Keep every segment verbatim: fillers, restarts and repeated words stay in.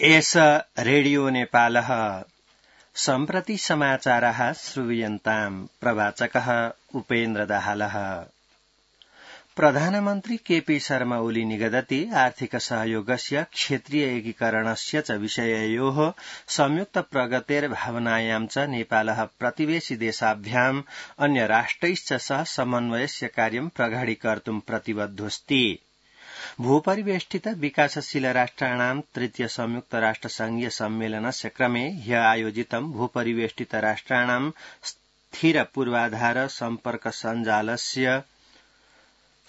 एष रेडियो नेपालः सम्प्रति समाचारः श्रूयन्ताम् प्रवाचकः उपेन्द्र दाहालः। प्रधानमन्त्री केपी शर्मा ओली निगदति आर्थिक सहयोगस्य क्षेत्रीय एकीकरणस्य च विषययोः संयुक्त प्रगतेर भावनायां च नेपालः प्रतिवेशि देशाभ्याम् अन्य राष्ट्रैश्च सह समन्वयस्य कार्यं प्रगाढीकर्तुं प्रतिबद्धोऽस्ति। भूपरिवेष्टित विकासशील राष्ट्राणां तृतीय संयुक्त राष्ट्र संघीय सम्मेलनस्य क्रमे ह्य आयोजितं भूपरिवेष्टित राष्ट्राणां स्थिर पूर्वाधार सम्पर्क सञ्जालस्य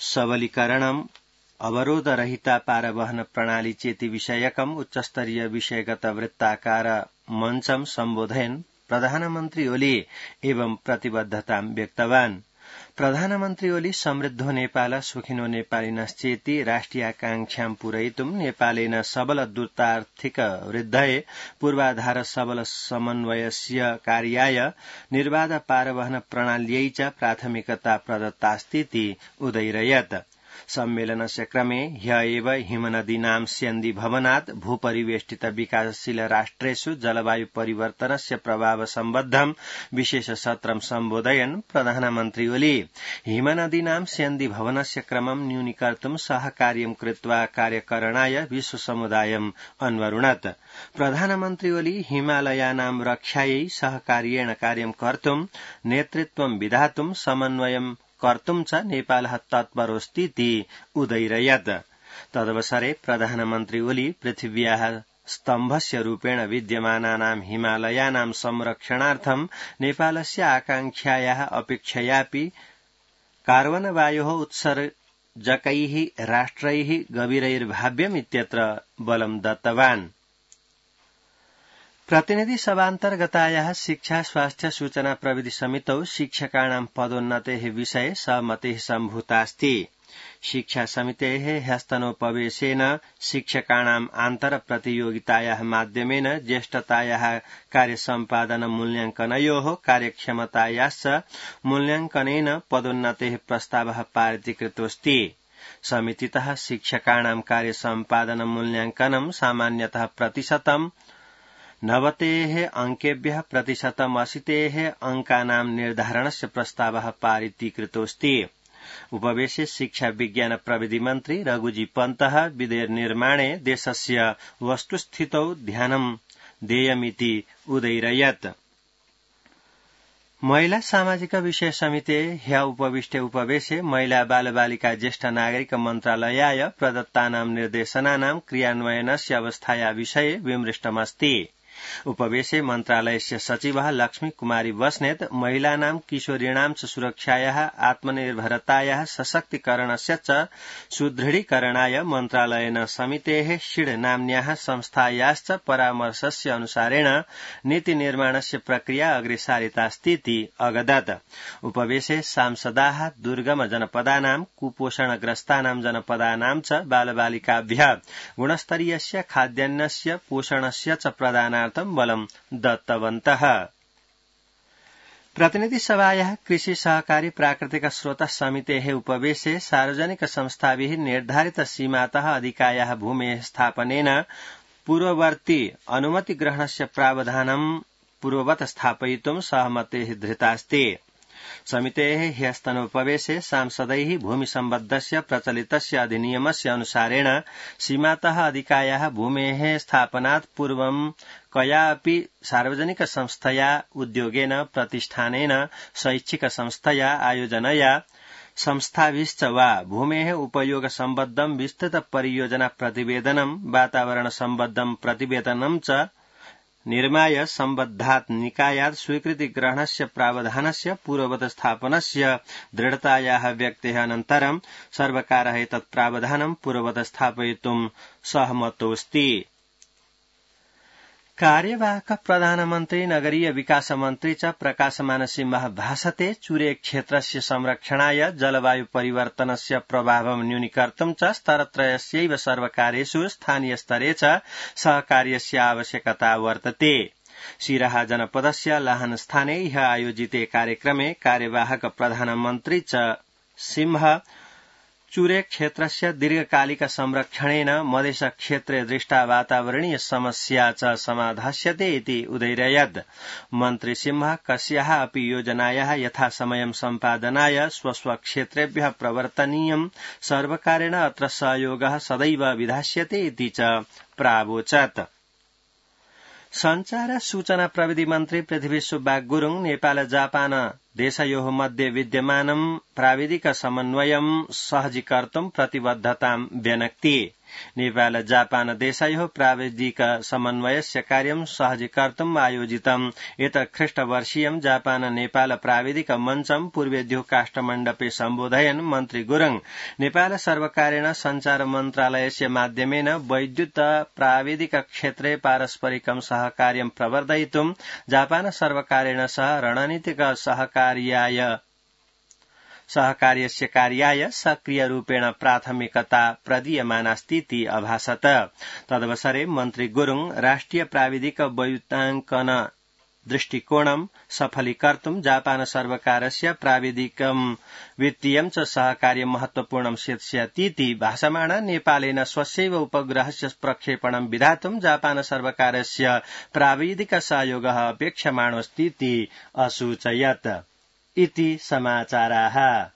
सबलीकरणम् अवरोधरहिता पारवहन प्रणाली चेति विषयकम् उच्चस्तरीय विषयगत वृत्ताकार मञ्चं सम्बोधयन् प्रधानमन्त्री ओली एवं प्रतिबद्धतां व्यक्तवान्। प्रधानमन्त्री ओली समृद्धो नेपाल सुखिनो नेपालिनश्चेति राष्ट्रियाकांक्षां पूरयितुं नेपालेन सबल द्रुतार्थिक वृद्धये पूर्वाधार सबल समन्वयस्य कार्याय निर्बाध पारवहन प्रणाल्यै च प्राथमिकता प्रदत्तास्तीति उदयिरयत्। सम्मेलनस्य क्रमे ह्य एव हिमनदीनां स्यन्दी भवनात् भूपरिवेष्टित विकासशील राष्ट्रेषु जलवायु परिवर्तनस्य प्रभाव सम्बद्धं विशेष सत्रं सम्बोधयन् प्रधानमन्त्री ओली हिमनदीनां स्यन्दी भवनस्य क्रमं न्यूनीकर्तुं सहकार्यं कृत्वा कार्यकरणाय विश्व समुदायम् अन्वरुणत्। प्रधानमन्त्री ओली हिमालयानां रक्षायै सहकार्येण कार्यं कर्तुं नेतृत्वं विधातुं समन्वयं कर्तुं च नेपालः तत्परोऽस्तीति उदयिरयत्। तदवसरे प्रधानमन्त्री ओली पृथिव्याः स्तम्भस्य रूपेण विद्यमानानां हिमालयानां संरक्षणार्थं नेपालस्य आकांक्षायाः अपेक्षयापि कार्बन वायोः उत्सर्जकैः राष्ट्रैः गभीरैर्भाव्यम् इत्यत्र बलं दत्तवान्। प्रतिनिधि सभान्तर्गतायाः शिक्षा स्वास्थ्य सूचना प्रविधि समितौ शिक्षकाणां पदोन्नतेः विषये सहमतिः सम्भूतास्ति। शिक्षा समितेः ह्यस्तनोपवेशेन शिक्षकाणाम् आन्तर प्रतियोगितायाः माध्यमेन ज्येष्ठतायाः कार्यसम्पादन मूल्याङ्कनयोः कार्यक्षमतायाश्च मूल्याङ्कनेन पदोन्नतेः प्रस्तावः पारितीकृतोऽस्ति। समितितः शिक्षकाणां कार्यसम्पादन मूल्याङ्कनं सामान्यतः प्रतिशतम् नवतेः अंकेभ्यः प्रतिशतम् अशीतेः अंकानां निर्धारणस्य प्रस्तावः पारितीकृतोऽस्ति। उपवेशे शिक्षा विज्ञान प्रविधि मन्त्री रघुजी पन्तः विधेयक निर्माणे देशस्य वस्तुस्थितौ ध्यानं देयमिति उदयिरयत्। महिला सामाजिक विषय समिते ह्य उपविष्टे उपवेशे महिला बालबालिका ज्येष्ठ नागरिक मन्त्रालयाय प्रदत्तानां निर्देशनानां क्रियान्वयनस्य अवस्थाया विषये विमृष्टमस्ति। उपवेशे मन्त्रालयस्य सचिवः लक्ष्मी कुमारी बस्नेत महिलानां किशोरीणां च सुरक्षायाः आत्मनिर्भरतायाः सशक्तीकरणस्य च सुदृढीकरणाय मन्त्रालयेन समितेः षिड् नाम्न्याः संस्थायाश्च परामर्शस्य अनुसारेण नीतिनिर्माणस्य प्रक्रिया अग्रेसारितास्तीति अगदत्। उपवेशे सांसदाः दुर्गम जनपदानां कुपोषणग्रस्तानां जनपदानां च बालबालिकाभ्यः गुणस्तरीयस्य खाद्यान्नस्य पोषणस्य च प्रदानार्थं बलं दत्तवन्तः। प्रतिनिधि सभायाः कृषि सहकारी प्राकृतिक स्रोत समितेः उपवेशे सार्वजनिक संस्थाभिः निर्धारित सीमातः अधिकायाः भूमेः स्थापनेन पूर्ववर्ती अनुमति ग्रहणस्य प्रावधानं पूर्ववत् स्थापयितुं सहमतिः धृतास्ति। समितेः ह्यस्तनोपवेशे सांसदैः भूमिसम्बद्धस्य प्रचलितस्य अधिनियमस्य अनुसारेण सीमातः अधिकायाः भूमेः स्थापनात् पूर्वं कयापि सार्वजनिक संस्थया उद्योगेन प्रतिष्ठानेन शैक्षिक संस्थया आयोजनया संस्थाभिश्च वा भूमेः उपयोग सम्बद्धं विस्तृत परियोजना प्रतिवेदनं वातावरण सम्बद्धं प्रतिवेदनं च निर्माय सम्बद्धात् निकायात् स्वीकृति ग्रहणस्य प्रावधानस्य पूर्ववत् स्थापनस्य दृढतायाः व्यक्तेः अनन्तरं सर्वकारः एतत् प्रावधानं पूर्ववत् स्थापयितुं सहमतोऽस्ति। कार्यवाहक प्रधानमन्त्री नगरीय विकास मन्त्री च प्रकाशमान सिंहः भाषते चुरे क्षेत्रस्य संरक्षणाय जलवायु परिवर्तनस्य प्रभावं न्यूनीकर्तुं च स्तरत्रयस्यैव सर्वकारेषु स्थानीय स्तरे च सहकार्यस्य आवश्यकता वर्तते। सिराहा जनपदस्य लाहन स्थाने ह्य आयोजिते कार्यक्रमे कार्यवाहक प्रधानमन्त्री च सिंह चुरे क्षेत्रस्य दीर्घकालिक संरक्षणेन मधेश क्षेत्रे दृष्टा वातावरणीय समस्या च समाधास्यते इति उदैरयत्। मन्त्री सिंह कस्याः अपि योजनायाः यथासमयं सम्पादनाय स्वस्वक्षेत्रेभ्यः प्रवर्तनीयं सर्वकारेण अत्र सहयोगः सदैव विधास्यते इति च प्रावोचत्। संचार सूचना प्रविधि मन्त्री पृथ्वी सुब्बा गुरुङ नेपाल जापान देशयोः मध्ये विद्यमानं प्राविधिक समन्वयं सहजीकर्तुं प्रतिबद्धतां व्यनक्ति। नेपाल जापान देशयोः प्राविधिक समन्वयस्य कार्यं सहजीकर्तुम् आयोजितम् एतत् ख्रीष्टवर्षीयं जापान नेपाल प्राविधिक मञ्चं पूर्वेद्यो काष्ठमण्डपे सम्बोधयन् मन्त्री गुरुङ नेपाल सर्वकारेण संचार मन्त्रालयस्य माध्यमेन वैद्युत प्राविधिक क्षेत्रे पारस्परिकं सहकार्यं प्रवर्धयितुं जापान सर्वकारेण सह रणनीतिक सहकार्याय सहकार्यस्य कार्याय सक्रियरूपेण प्राथमिकता प्रदीयमानास्तीति अभासत। तदवसरे मन्त्री गुरुङ राष्ट्रिय प्राविधिक वैद्युताङ्कन दृष्टिकोणं सफलीकर्तुं जापान सर्वकारस्य प्राविधिकं वित्तीयं च सहकार्यं महत्वपूर्णं सिद्ध्यतीति भाषमाण नेपालेन स्वस्यैव उपग्रहस्य प्रक्षेपणं विधातुं जापान सर्वकारस्य प्राविधिक सहयोगः अपेक्षमाणोऽस्तीति असूचयत्। इति समाचाराः।